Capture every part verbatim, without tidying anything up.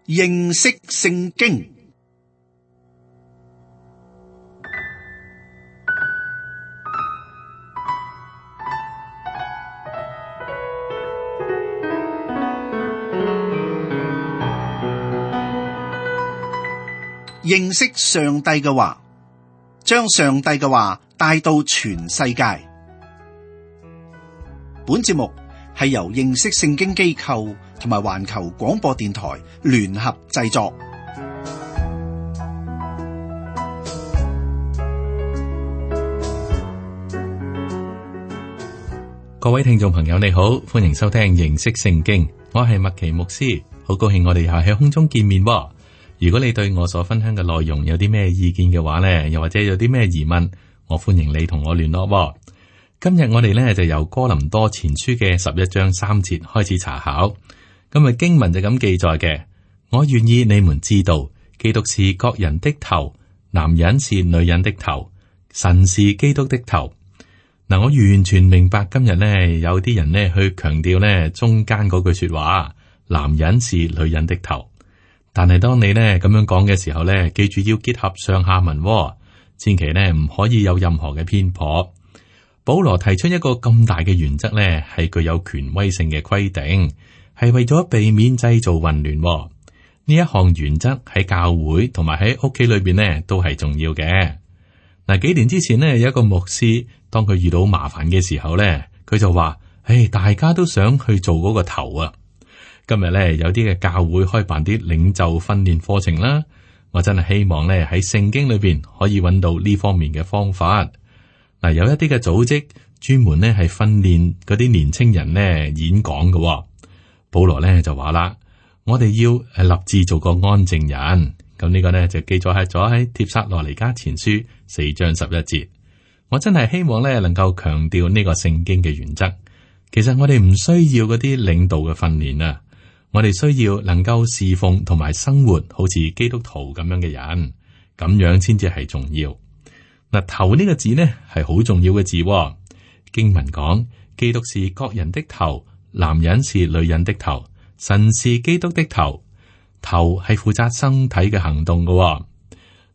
認識聖經。認識上帝嘅話，將上帝嘅話帶到全世界。本節目係由認識聖經機構同埋環球廣播電台聯合製作。各位聽眾朋友，你好，歡迎收聽認識聖經。我係麥奇牧師，好高興我哋又喺空中見面。如果你對我所分享嘅內容有啲咩意見嘅話呢，又或者有啲咩疑問，我歡迎你同我聯絡。今日我哋呢就由哥林多前書嘅十一章三節開始查考。今日經文就咁記載嘅：我願意你們知道，基督是各人的頭，男人是女人的頭，神是基督的頭。嗱，我完全明白今日呢有啲人呢去強調呢中間嗰句說話，男人是女人的頭。但係當你呢咁樣講嘅時候呢，記住要結合上下文，千祈呢唔可以有任何嘅偏頗。保羅提出一個咁大嘅原則呢，係具有權威性嘅規定，係為咗避免製造混亂。呢一項原則喺教會同埋喺屋企裏邊呢都係重要嘅。嗱，幾年之前呢，有一個牧師，當佢遇到麻煩嘅時候呢，佢就話：唉，大家都想去做嗰個頭啊！今日咧有啲嘅教會開辦啲領袖訓練課程啦，我真係希望咧喺聖經裏邊可以揾到呢方面嘅方法。嗱，有一啲嘅組織專門咧係訓練嗰啲年青人咧演講嘅。保羅咧就話啦：我哋要誒立志做個安靜人。咁呢個咧就記載喺咗喺帖撒羅尼迦前書四章十一節。我真係希望咧能夠強調呢個聖經嘅原則。其實我哋唔需要嗰啲領導嘅訓練啊。我哋需要能夠侍奉同埋生活好似基督徒咁樣嘅人，咁樣先至係重要。嗱，頭呢個字呢係好重要嘅字。經文講，基督是各人的頭，男人是女人的頭，神是基督的頭。頭係負責身體嘅行動嘅。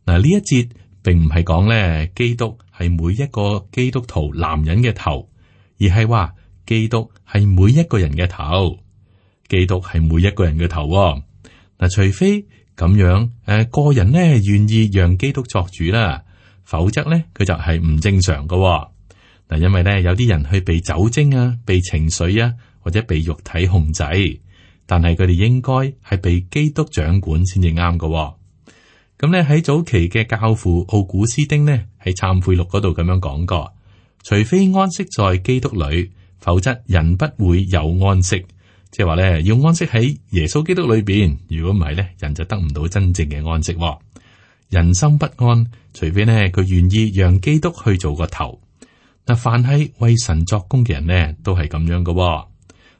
嗱，呢一節並唔係講咧基督係每一個基督徒男人嘅頭，而係話基督係每一個人嘅頭。基督係每一個人嘅頭嗱、哦，除非咁樣誒、呃，個人呢願意讓基督作主啦，否則呢佢就係唔正常嘅嗱、哦。因為呢有啲人去被酒精啊、被情緒啊或者被肉體控制，但係佢哋應該係被基督掌管先至啱嘅。咁呢喺早期嘅教父奧古斯丁呢喺懺悔錄嗰度咁樣講過：除非安息在基督裏，否則人不會有安息。即係話咧，要安息喺耶穌基督裏邊。如果唔係咧，人就得唔到真正嘅安息。人心不安，除非呢佢願意讓基督去做個頭。嗱，凡係為神作工嘅人呢，都係咁樣嘅。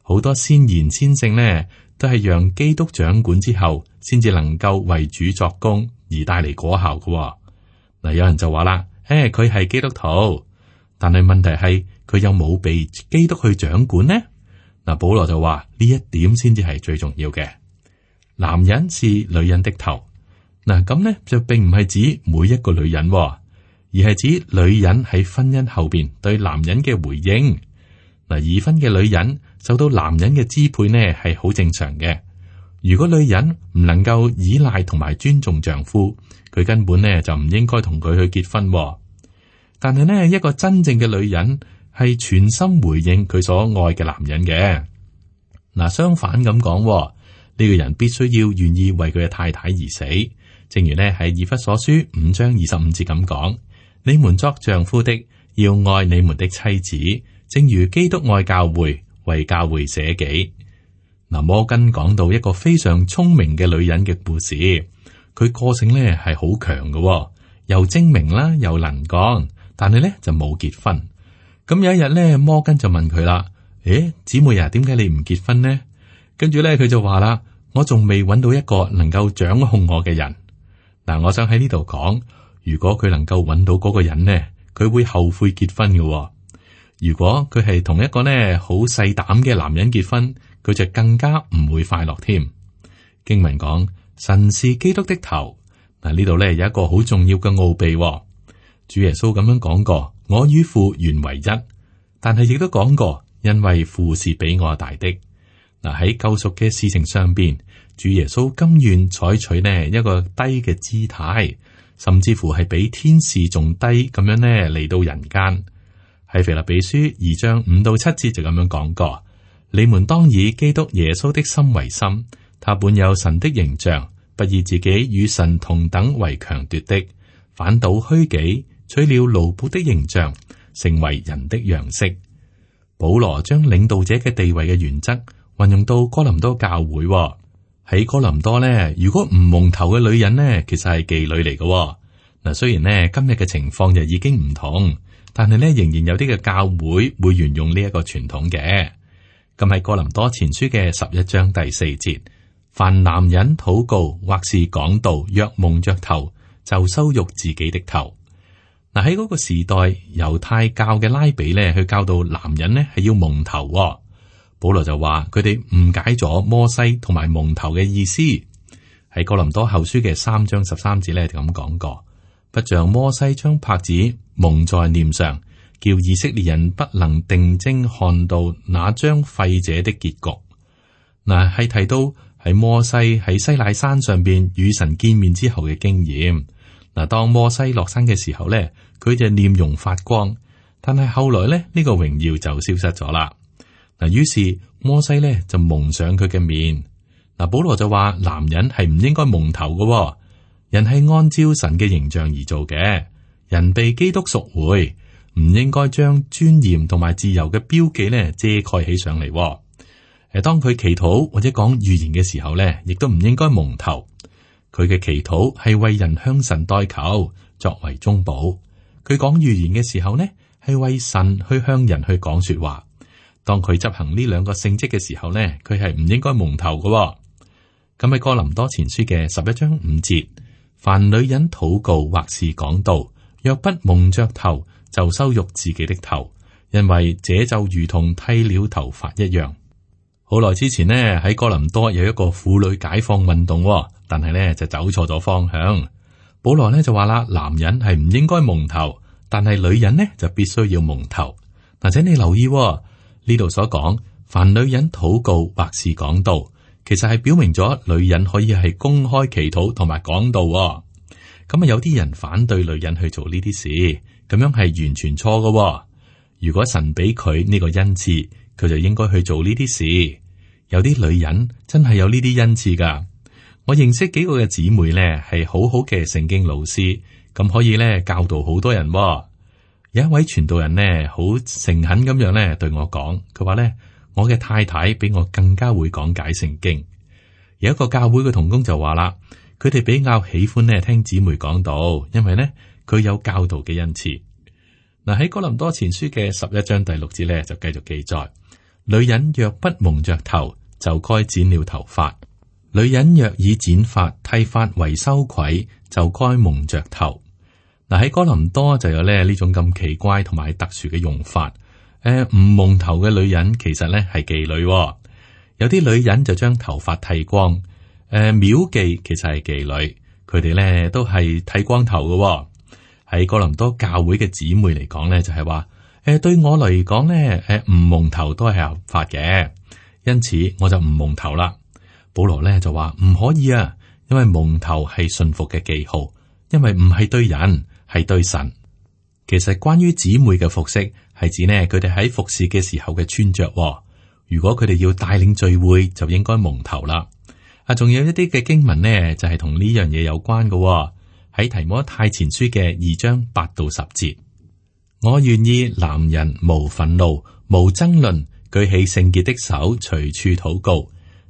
好多先賢先聖呢，都係讓基督掌管之後，先至能夠為主作工而帶嚟果效嘅。嗱，有人就話啦：誒，佢係基督徒，但係問題係佢有冇被基督去掌管呢？嗱，保羅就話呢一點先至係最重要嘅。男人是女人的頭，嗱咁呢就並唔係指每一個女人，而係指女人喺婚姻後邊對男人嘅回應。嗱，已婚嘅女人受到男人嘅支配呢係好正常嘅。如果女人唔能夠依賴同埋尊重丈夫，佢根本呢就唔應該同佢去結婚。但係呢一個真正嘅女人，係全心回應佢所愛嘅男人嘅。嗱，相反咁講，呢個人必須要願意為佢嘅太太而死。正如呢喺以弗所書五章二十五節咁講：你們作丈夫的要愛你們的妻子，正如基督愛教會，為教會捨己。嗱，摩根講到一個非常聰明嘅女人嘅故事，佢個性呢係好強嘅，又精明啦，又能幹，但係呢就冇結婚。咁有一日咧，摩根就問佢啦：誒，姊妹啊，點解你唔結婚呢？跟住咧，佢就話啦：我仲未揾到一個能夠掌控我嘅人。嗱，我想喺呢度講，如果佢能夠揾到嗰個人呢，佢會後悔結婚嘅。如果佢係同一個呢好細膽嘅男人結婚，佢就更加唔會快樂添。經文講，神是基督的頭。嗱，呢度咧有一個好重要嘅奧秘，哦。主耶穌咁樣講過：我與父原為一。但係亦都講過，因為父是比我大的。嗱，喺救贖嘅事情上邊，主耶穌甘願採取呢一個低嘅姿態，甚至乎係比天使仲低咁樣呢嚟到人間。喺腓立比書二章五到七節就咁樣講過：你們當以基督耶穌的心為心，他本有神的形象，不以自己與神同等為強奪的，反倒虛己，取了奴僕的形象，成為人的樣式。保羅將領導者嘅地位嘅原則運用到哥林多教會。喺哥林多呢，如果唔蒙頭嘅女人呢，其實係妓女嚟嘅。嗱，雖然呢今日嘅情況就已經唔同，但係呢仍然有啲嘅教會會沿用呢一個傳統嘅。咁喺哥林多前書嘅十一章第四節，凡男人禱告或是講道，若蒙着頭，就羞辱自己的頭。嗱，喺嗰個時代，猶太教嘅拉比咧去教導男人呢係要蒙頭。保羅就話佢哋誤解咗摩西同埋蒙頭嘅意思。喺哥林多後書嘅三章十三節咧就咁講過：不像摩西將帕子蒙在臉上，叫以色列人不能定睛看到那將廢者的結局。嗱，係提到喺摩西喺西奈山上邊與神見面之後嘅經驗。嗱，當摩西落山嘅時候咧，佢就臉容發光，但係後來咧呢、這個榮耀就消失咗啦。嗱，於是摩西咧就蒙上佢嘅面。嗱，保羅就話男人係唔應該蒙頭嘅，人係按照神嘅形象而做嘅，人被基督贖回，唔應該將尊嚴同埋自由嘅標記咧遮蓋起上嚟。誒，當佢祈禱或者講預言嘅時候咧，亦都唔應該蒙頭。佢嘅祈禱係為人向神代求，作為中保。佢講預言嘅時候呢，係為神去向人去講說話。當佢執行呢兩個性質嘅時候呢，佢係唔應該蒙頭嘅。咁喺哥林多前書嘅十一章五節，凡女人禱告或是講道，若不蒙着頭，就羞辱自己的頭，因為這就如同剃了頭髮一樣。好耐之前呢，喺哥林多有一個婦女解放運動，但係呢就走錯咗方向。保羅呢就話啦，男人係唔應該蒙頭，但係女人呢就必須要蒙頭。嗱，請你留意呢度所講，凡女人禱告或是講道，其實係表明咗女人可以係公開祈禱同埋講道。咁啊，有啲人反對女人去做呢啲事，咁樣係完全錯㗎。如果神俾佢呢個恩賜，佢就應該去做呢啲事。有啲女人真係有呢啲恩賜噶。我認識幾個嘅姊妹呢，係好好嘅聖經老師，咁可以呢教導好多人。有一位傳道人呢，好誠懇咁樣呢對我講，佢話呢，我嘅太太比我更加會講解聖經。有一個教會嘅同工就話啦，佢哋比較喜歡呢聽姊妹講道，因為呢佢有教導嘅恩賜。嗱，喺哥林多前書嘅十一章第六節呢，就繼續記載：女人若不蒙着頭，就該剪了頭髮；女人若以剪髮剃髮為羞愧，就該蒙着頭。嗱，喺哥林多就有咧呢種咁奇怪同埋特殊嘅用法。誒、呃，唔蒙頭嘅女人其實咧係妓女、哦，有啲女人就將頭髮剃光。誒、呃，廟妓其實係妓女，佢哋咧都係剃光頭嘅、哦。喺哥林多教會嘅姊妹嚟講咧，就係話，誒，對我嚟講咧，誒，唔蒙頭都係合法嘅，因此我就唔蒙頭啦。保羅咧就話唔可以啊，因為蒙頭係信服嘅記號，因為唔係對人。係對神。其實關於姊妹嘅服飾，係指呢佢哋喺服侍嘅時候嘅穿着。如果佢哋要帶領聚會，就應該蒙頭啦。啊，仲有一啲嘅經文呢，就係同呢樣嘢有關嘅。喺提摩太前書嘅二章八到十節，我願意男人無憤怒、無爭論，舉起聖潔的手，隨處禱告；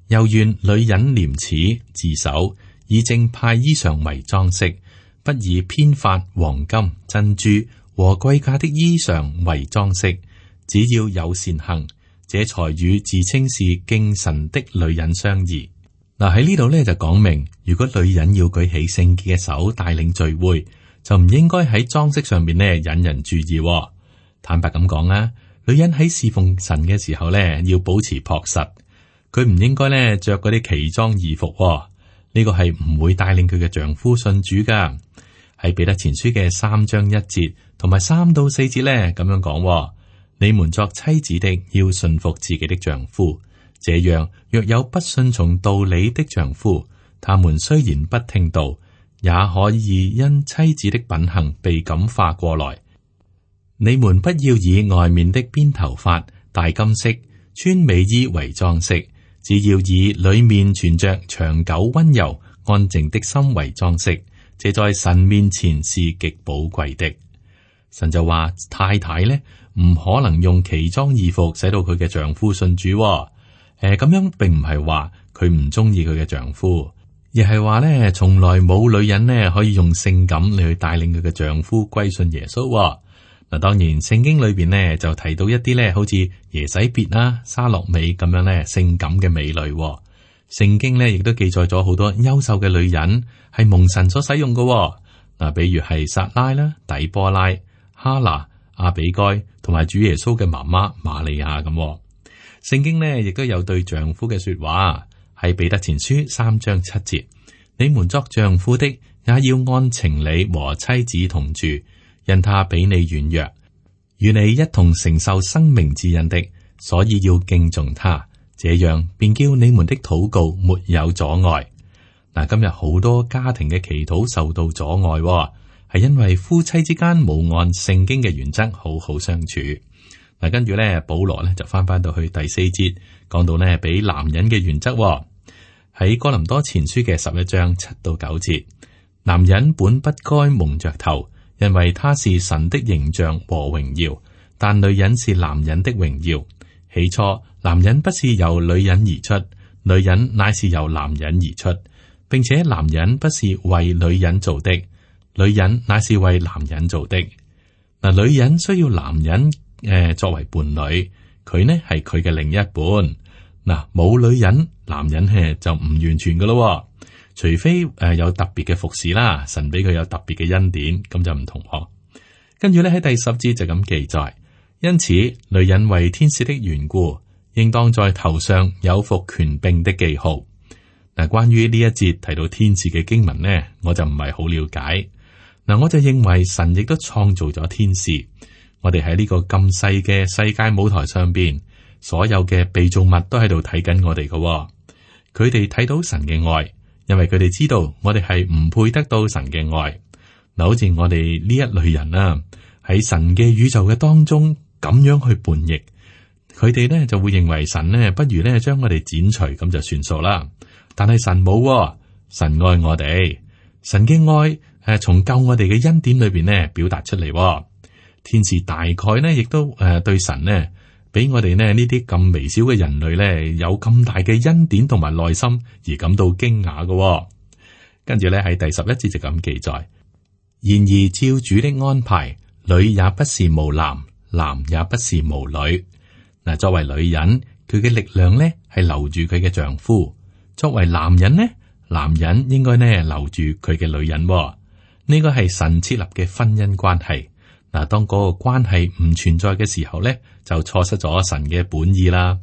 又願女人廉恥自守，以正派衣裳為裝飾。不以編髮、黃金、珍珠和貴價的衣裳為裝飾，只要有善行，這才與自稱是敬神的女人相宜。嗱，喺呢度咧就講明，如果女人要舉起聖潔嘅手帶領聚會，就唔應該喺裝飾上面咧引人注意。坦白咁講啦，女人喺侍奉神嘅時候咧要保持樸實，佢唔應該咧着嗰啲奇裝異服。呢個係唔會帶領佢嘅丈夫信主噶。喺彼得前書嘅三章一節同埋三到四節咧，咁樣講：你們作妻子的要順服自己的丈夫，這樣若有不順從道理的丈夫，他們雖然不聽道，也可以因妻子的品行被感化過來。你們不要以外面的編頭髮、戴金飾、穿美衣為裝飾，只要以裏面存着長久溫柔安靜的心為裝飾，這在神面前是極寶貴的。神就話太太呢唔可能用奇裝異服使到佢嘅丈夫信主、哦。誒、呃，咁樣並唔係話佢唔中意佢嘅丈夫，而係話呢從來冇女人呢可以用性感嚟去帶領佢嘅丈夫歸信耶穌、哦。嗱，當然聖經裏邊呢就提到一啲咧，好似耶洗別啦、沙洛美咁樣咧性感嘅美女。聖經咧亦都記載咗好多優秀嘅女人係蒙神所使用嘅。嗱，比如係撒拉啦、底波拉、哈拿、阿比該同埋主耶穌嘅媽媽瑪利亞咁。聖經呢亦都有對丈夫嘅說話，喺彼得前書三章七節：你們作丈夫的，也要按情理和妻子同住。因他比你軟弱，與你一同承受生命之恩的，所以要敬重他，這樣便叫你們的禱告沒有阻礙。嗱，今日好多家庭嘅祈禱受到阻礙，係因為夫妻之間冇按聖經嘅原則好好相處。嗱，跟住咧，保羅咧就翻翻到去第四節，講到呢俾男人嘅原則喺哥林多前書嘅十一章七到九節，男人本不該蒙着頭。因為他是神的形象和榮耀，但女人是男人的榮耀。起初，男人不是由女人而出，女人乃是由男人而出，並且男人不是為女人做的，女人乃是為男人做的。嗱，女人需要男人誒、呃、作為伴侶，佢呢係佢嘅另一半。嗱，冇女人，男人誒就唔完全噶咯。除非誒、呃、有特別嘅服侍啦，神俾佢有特別嘅恩典，咁就唔同嗬。跟住咧喺第十節就咁記載，因此女人為天使的緣故，應當在頭上有服權柄的記號。嗱，關於呢一節提到天使嘅經文呢，我就唔係好了解。嗱，我就認為神亦都創造咗天使。我哋喺呢個咁細嘅世界舞台上邊，所有嘅被造物都喺度睇緊我哋嘅，佢哋睇到神嘅愛。因為佢哋知道我哋係唔配得到神嘅愛，嗱，好似我哋呢一類人啊，喺神嘅宇宙嘅當中咁樣去叛逆，佢哋咧就會認為神咧不如咧將我哋剪除咁就算數啦。但係神冇、哦，神愛我哋，神嘅愛誒從救我哋嘅恩典裏邊咧表達出嚟、哦。天使大概咧亦都誒對神咧。俾我哋呢呢啲咁微小嘅人類咧，有咁大嘅恩典同埋耐心而感到驚訝嘅。跟住咧喺第十一節就咁記載：然而照主的安排，女也不是無男，男也不是無女。嗱，作為女人，佢嘅力量咧係留住佢嘅丈夫；作為男人呢，男人應該呢留住佢嘅女人。呢個係神設立嘅婚姻關係。嗱，當嗰個關係唔存在嘅時候咧，就錯失咗神嘅本意啦。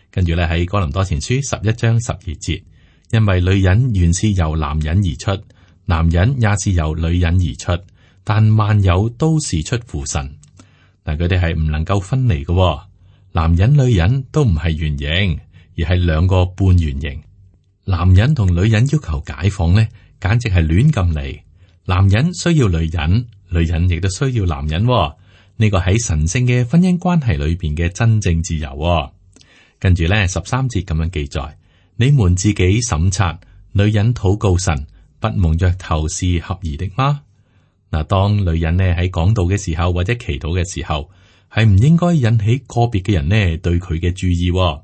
跟住咧喺哥林多前書十一章十二節，因為女人原是由男人而出，男人也是由女人而出，但萬有都是出乎神。但佢哋係唔能夠分離嘅，男人女人都唔係圓形，而係兩個半圓形。男人同女人要求解放咧，簡直係亂咁嚟。男人需要女人。女人亦都需要男人、哦，呢、這個喺神聖嘅婚姻關係裏邊嘅真正自由、哦。跟住咧十三節咁樣記載：你們自己審察，女人禱告神，不蒙着頭是合宜的嗎？嗱，當女人呢喺講道嘅時候或者祈禱嘅時候，係唔應該引起個別嘅人呢對佢嘅注意、哦。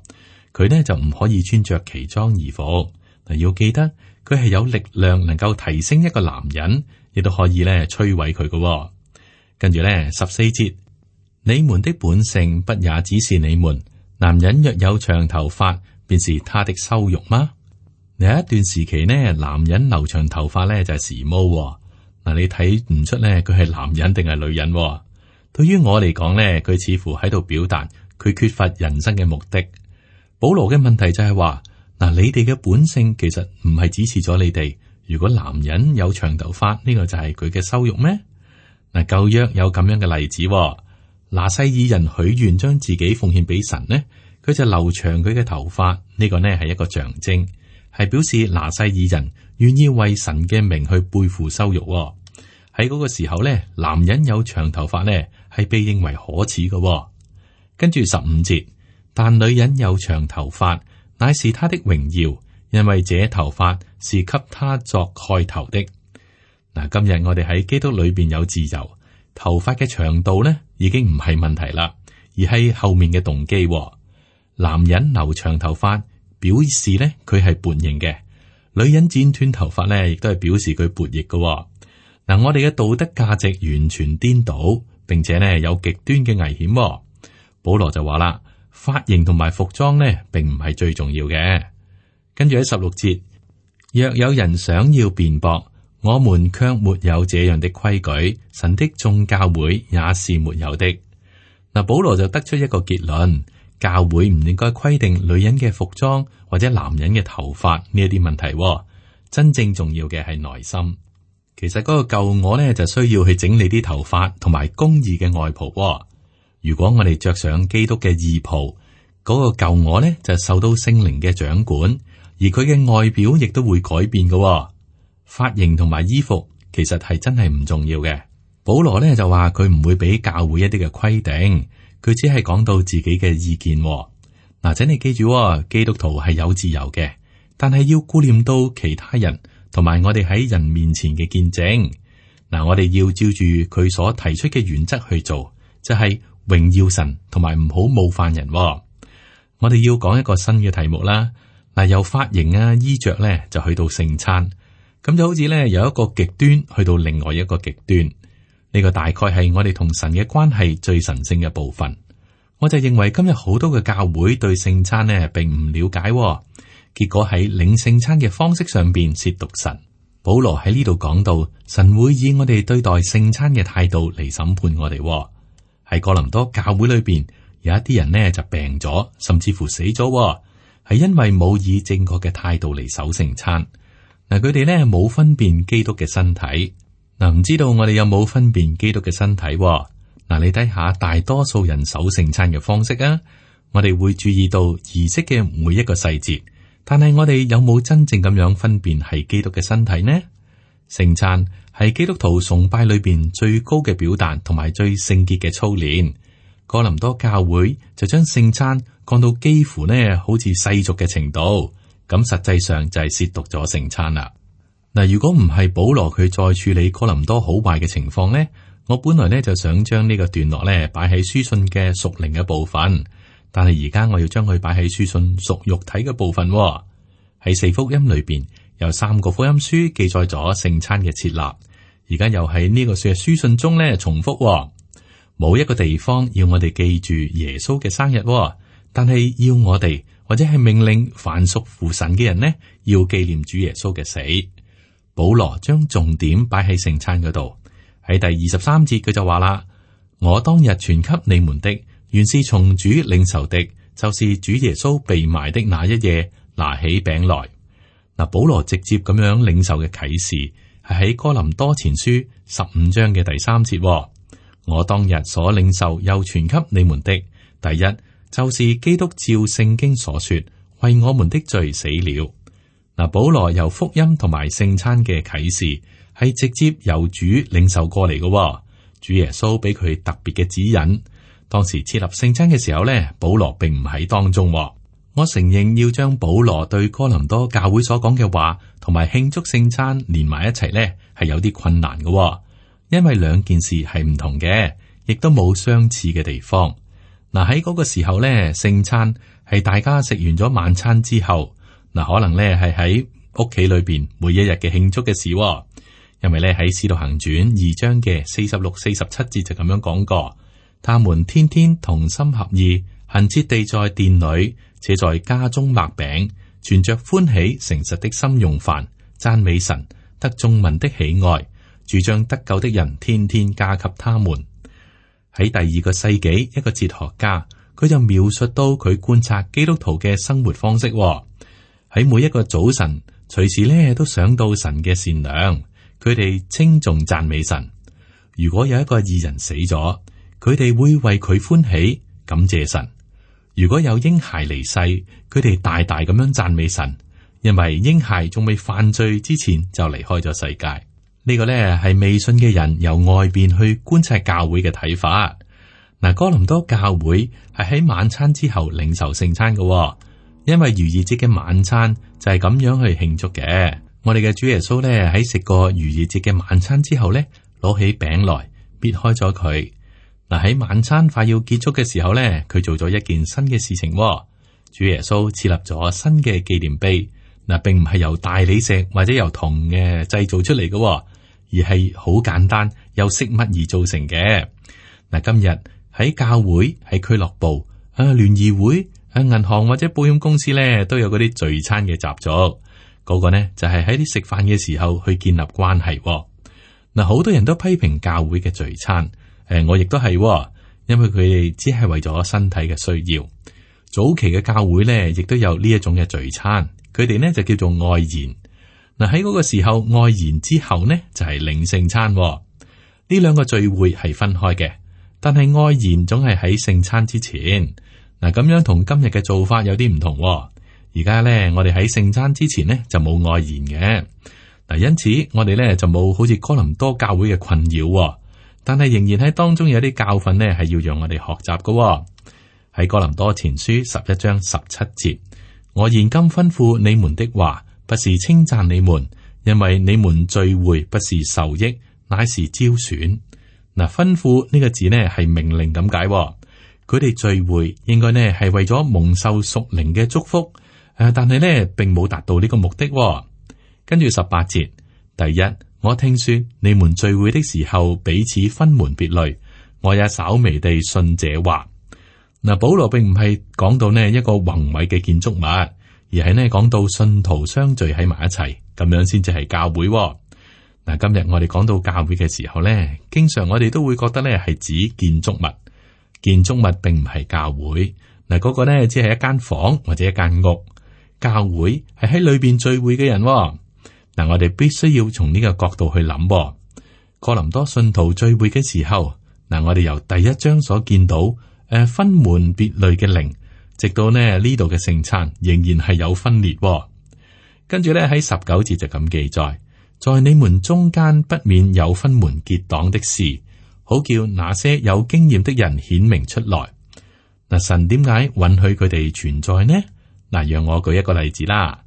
佢呢就唔可以穿着奇裝異服。嗱，要記得佢係有力量，能夠提升一個男人。亦都可以咧摧毀佢嘅。跟住咧十四節，你們的本性不也只是你們男人若有長頭髮，便是他的羞辱嗎？有一段時期呢，男人留長頭髮咧就係時髦。嗱，你睇唔出咧佢係男人定係女人？對於我嚟講咧，佢似乎喺度表達佢缺乏人生嘅目的。保羅嘅問題就係話，嗱，你哋嘅本性其實唔係指示咗你哋，如果男人有長頭髮，呢個就係佢嘅羞辱咩？嗱，舊約有咁樣嘅例子，拿細耳人許願將自己奉獻俾神呢，佢就留長佢嘅頭髮，呢個呢係一個象徵，係表示拿細耳人願意為神嘅名去背負羞辱。喺嗰個時候呢，男人有長頭髮呢係被認為可恥嘅。跟住十五節，但女人有長頭髮，乃是她的榮耀，因為這頭髮是給她作蓋頭的。嗱，今日我哋喺基督裏邊有自由，頭髮嘅長度呢已經唔係問題啦，而係後面嘅動機。男人留長頭髮，表示呢佢係叛逆嘅；女人剪斷頭髮呢，亦都係表示佢叛逆嘅。嗱，我哋嘅道德價值完全顛倒，並且呢有極端嘅危險。保羅就話啦，髮型同埋服裝呢，並唔係最重要嘅。跟住喺十六節，若有人想要辯駁，我們卻沒有這樣的規矩，神的眾教會也是沒有的。嗱，保羅就得出一個結論，教會唔應該規定女人嘅服裝或者男人嘅頭髮呢一啲問題。真正重要嘅係內心。其實嗰個舊我呢，就需要去整理啲頭髮同埋公義嘅外袍。如果我哋着上基督嘅義袍，嗰個舊我呢，就受到聖靈嘅掌管，而佢嘅外表亦都會改變嘅。髮型同埋衣服其實係真係唔重要嘅。保羅呢就話佢唔會俾教會一啲嘅規定，佢只係講到自己嘅意見。嗱，請你記住，基督徒係有自由嘅，但係要顧念到其他人同埋我哋喺人面前嘅見證。嗱，我哋要照住佢所提出嘅原則去做，就係榮耀神同埋唔好冒犯人。我哋要講一個新嘅題目啦。嗱，由髮型啊、衣着咧，就去到聖餐，咁就好似咧由一個極端去到另外一個極端。呢個大概係我哋同神嘅關係最神聖嘅部分。我就認為今日好多嘅教會對聖餐呢並唔了解，結果喺領聖餐嘅方式上邊褻瀆神。保羅喺呢度講到，神會以我哋對待聖餐嘅態度嚟審判我哋。喺哥林多教會裏邊，有一啲人呢就病咗，甚至乎死咗，係因為冇以正確嘅態度嚟守聖餐。嗱，佢哋呢冇分辨基督嘅身體。嗱，唔知道我哋有冇分辨基督嘅身體？嗱，你睇下大多數人守聖餐嘅方式啊，我哋會注意到儀式嘅每一個細節，但係我哋有冇真正咁樣分辨係基督嘅身體呢？聖餐係基督徒崇拜裏邊最高嘅表達，同埋最聖潔嘅操練。哥林多教會就將聖餐降到幾乎呢好似世俗嘅程度，咁實際上就係褻瀆咗聖餐啦。嗱，如果唔係保羅佢再處理哥林多好壞嘅情況呢，我本來呢就想將呢個段落呢擺喺書信嘅屬靈嘅部分，但係而家我要將佢擺喺書信屬肉體嘅部分。喺四福音裏邊有三個福音書記載咗聖餐嘅設立，而家又喺呢個書書信中呢重複。冇一個地方要我哋記住耶穌嘅生日，但係要我哋或者係命令凡屬乎神嘅人呢，要紀念主耶穌嘅死。保羅將重點擺喺聖餐嗰度，喺第二十三節佢就話啦：我當日傳給你們的，原是從主領受的，就是主耶穌被埋的那一夜，拿起餅來。嗱，保羅直接咁樣領受嘅啟示係喺哥林多前書十五章嘅第三節。我當日所領受又傳給你們的，第一就是基督照聖經所說，為我們的罪死了。嗱，保羅由福音同埋聖餐嘅啟示係直接由主領受過嚟嘅。主耶穌俾佢特別嘅指引。當時設立聖餐嘅時候呢，保羅並唔喺當中。我承認要將保羅對哥林多教會所講嘅話同埋慶祝聖餐連埋一齊呢，係有啲困難嘅，因為兩件事係唔同嘅，亦都冇相似嘅地方。嗱，喺嗰個時候呢，聖餐係大家食完咗晚餐之後。嗱，可能咧係喺屋企裏邊每一日嘅慶祝嘅事。因為咧喺使徒行傳二章嘅四十六、四十七節就咁樣講過，他們天天同心合意，恆切地在殿裏，且在家中擘餅，存着歡喜誠實的心用飯，讚美神，得眾民的喜愛。主將得救的人天天加給他們。喺第二個世紀，一個哲學家佢就描述到佢觀察基督徒嘅生活方式。喺每一個早晨，隨時咧都想到神嘅善良，佢哋稱頌讚美神。如果有一個義人死咗，佢哋會為佢歡喜，感謝神。如果有嬰孩離世，佢哋大大咁樣讚美神，因為嬰孩仲未犯罪之前就離開咗世界。呢個咧係未信嘅人由外邊去觀察教會嘅睇法。嗱，哥林多教會係喺晚餐之後領受聖餐嘅，因為逾越節嘅晚餐就係咁樣去慶祝嘅。我哋嘅主耶穌咧喺食過逾越節嘅晚餐之後咧，攞起餅來，搣開咗佢。嗱，喺晚餐快要結束嘅時候咧，佢做咗一件新嘅事情。主耶穌設立咗新嘅紀念碑。嗱，並唔係由大理石或者由銅嘅製造出嚟嘅，而係好簡單由飾物而造成嘅。嗱，今日喺教會、喺俱樂部、啊聯誼會、啊銀行或者保險公司咧，都有嗰啲聚餐嘅習俗。嗰個呢就係喺啲食飯嘅時候去建立關係。嗱，好多人都批評教會嘅聚餐，誒，我亦都係，因為佢哋只係為咗身體嘅需要。早期嘅教會呢，亦都有呢一種嘅聚餐，佢哋呢就叫做愛筵。嗱，喺嗰個時候愛筵之後呢，就係領聖餐。呢兩個聚會係分開嘅，但係愛筵總係喺聖餐之前。嗱，咁樣同今日嘅做法有啲唔同。而家咧，我哋喺聖餐之前呢，就冇愛筵嘅。嗱，因此我哋咧就冇好似哥林多教會嘅困擾，但係仍然喺當中有啲教訓呢，係要讓我哋學習嘅。喺哥林多前書十一章十七節，我現今吩咐你們的話，不是稱讚你們，因為你們聚會不是受益，乃是招選。嗱，吩咐呢個字呢係命令咁解，佢哋聚會應該呢係為咗蒙受屬靈嘅祝福。誒，但係咧，並冇達到呢個目的。跟住十八節，第一，我聽說你們聚會的時候彼此分門別類，我也稍微地信這話。嗱，保羅並唔係講到呢一個宏偉嘅建築物，而係呢講到信徒相聚喺埋一齊，咁樣先至係教會。嗱，今日我哋講到教會嘅時候咧，經常我哋都會覺得咧係指建築物，建築物並唔係教會。嗱，嗰個呢只係一間房或者一間屋。教會係喺裏邊聚會嘅人。嗱，我哋必須要從呢個角度去諗。哥林多信徒聚會嘅時候，嗱，我哋由第一章所見到誒分門別類嘅靈，直到呢呢度嘅聖餐，仍然係有分裂。跟住咧喺十九節就咁記載，在你們中間不免有分門結黨的事，好叫那些有經驗的人顯明出來。嗱，神點解允許佢哋存在呢？嗱，讓我舉一個例子啦。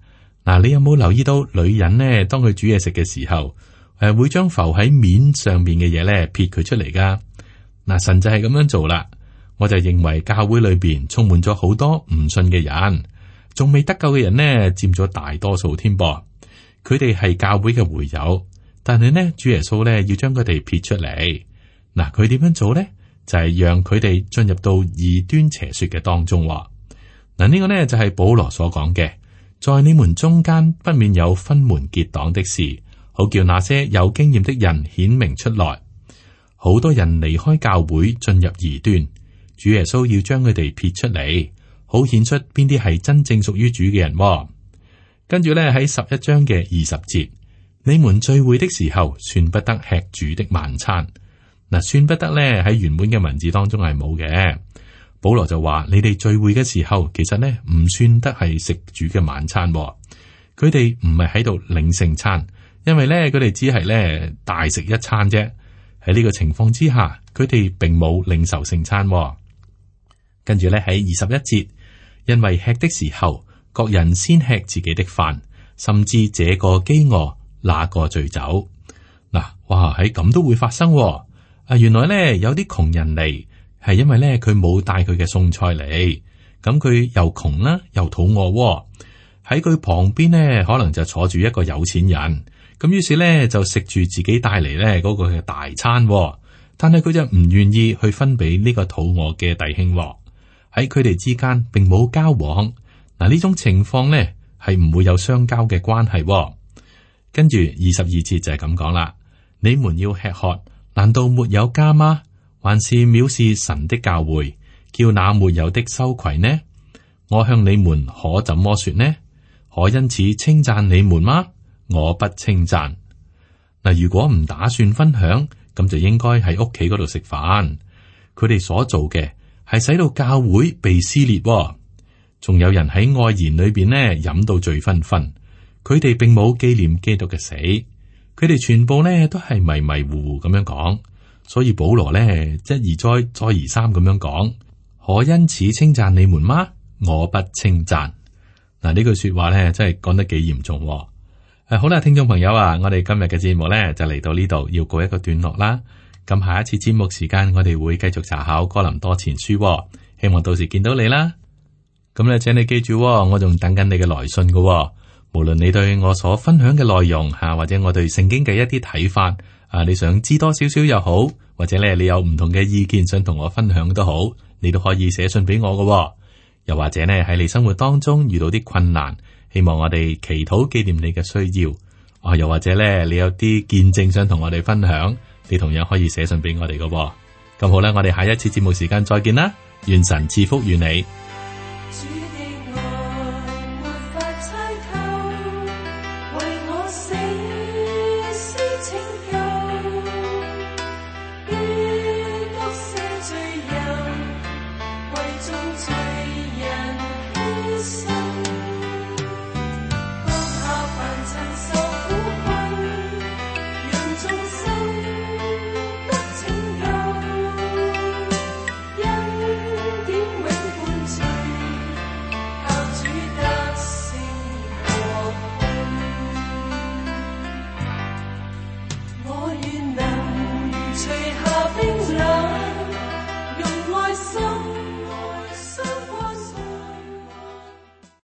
嗱，你有冇留意到女人呢？當佢煮嘢食嘅時候，誒，會將浮喺面上面嘅嘢咧撇佢出嚟噶。嗱，神就係咁樣做啦。我就認為教會裏邊充滿咗好多唔信嘅人，仲未得救嘅人呢，佔咗大多數添噃。佢哋係教會嘅會友，但係呢，主耶穌咧要將佢哋撇出嚟。嗱，佢點樣做咧？就係讓佢哋進入到異端邪說嘅當中。嗱，呢個呢就係保羅所講嘅，在你們中間不免有分門結黨的事，好叫那些有經驗的人顯明出來。好多人離開教會進入異端，主耶穌要將佢哋撇出嚟，好顯出邊啲係真正屬於主嘅人。跟住呢，喺十一章嘅二十節，你們聚會的時候，算不得吃主的晚餐。嗱，算不得呢喺原本嘅文字當中係冇嘅。保羅就話：你哋聚會嘅時候，其實咧唔算得係食主嘅晚餐，佢哋唔係喺度領聖餐，因為咧佢哋只係咧大食一餐啫。喺呢個情況之下，佢哋並冇領受聖餐。跟住咧喺二十一節，因為吃的時候，各人先吃自己的飯，甚至這個飢餓，那個醉酒。嗱，哇，喺咁都會發生。啊，原來咧有啲窮人嚟。係因為咧，佢冇帶佢嘅餸菜嚟，咁佢又窮啦，又肚餓。喺佢旁邊呢，可能就坐住一個有錢人，咁於是咧就食住自己帶嚟咧嗰個嘅大餐，但係佢就唔願意去分俾呢個肚餓嘅弟兄。喺佢哋之間並冇交往。嗱，呢種情況咧係唔會有相交嘅關係。跟住二十二節就係咁講啦，你們要吃喝，難道沒有家嗎？還是藐視神的教會，叫那沒有的羞愧呢？我向你們可怎麼說呢？可因此稱讚你們嗎？我不稱讚。嗱，如果唔打算分享，咁就應該喺屋企嗰度食飯。佢哋所做嘅係使到教會被撕裂，仲有人喺愛筵裏邊呢飲到醉醺醺。佢哋並冇紀念基督嘅死，佢哋全部呢都係迷迷糊糊咁樣講。所以保羅呢一而再再而三咁樣講，可因此稱讚你們嗎？我不稱讚。嗱，呢句說話呢真係講得幾嚴重。誒，好啦，聽眾朋友啊，我哋今日嘅節目呢就嚟到呢度，要告一個段落啦。咁下一次節目時間，我哋會繼續查考哥林多前書，希望到時見到你啦。咁咧，請你記住，我仲等緊你嘅來信㗎。無論你對我所分享嘅內容吓，或者我對聖經嘅一啲睇法啊，你想知多少少又好，或者咧你有唔同嘅意見想同我分享都好，你都可以寫信俾我㗎。又或者呢喺你生活當中遇到啲困難，希望我哋祈禱紀念你嘅需要啊，又或者咧你有啲見證想同我哋分享，你同樣可以寫信俾我哋㗎。咁好啦，我哋下一次節目時間再見啦，願神賜福於你。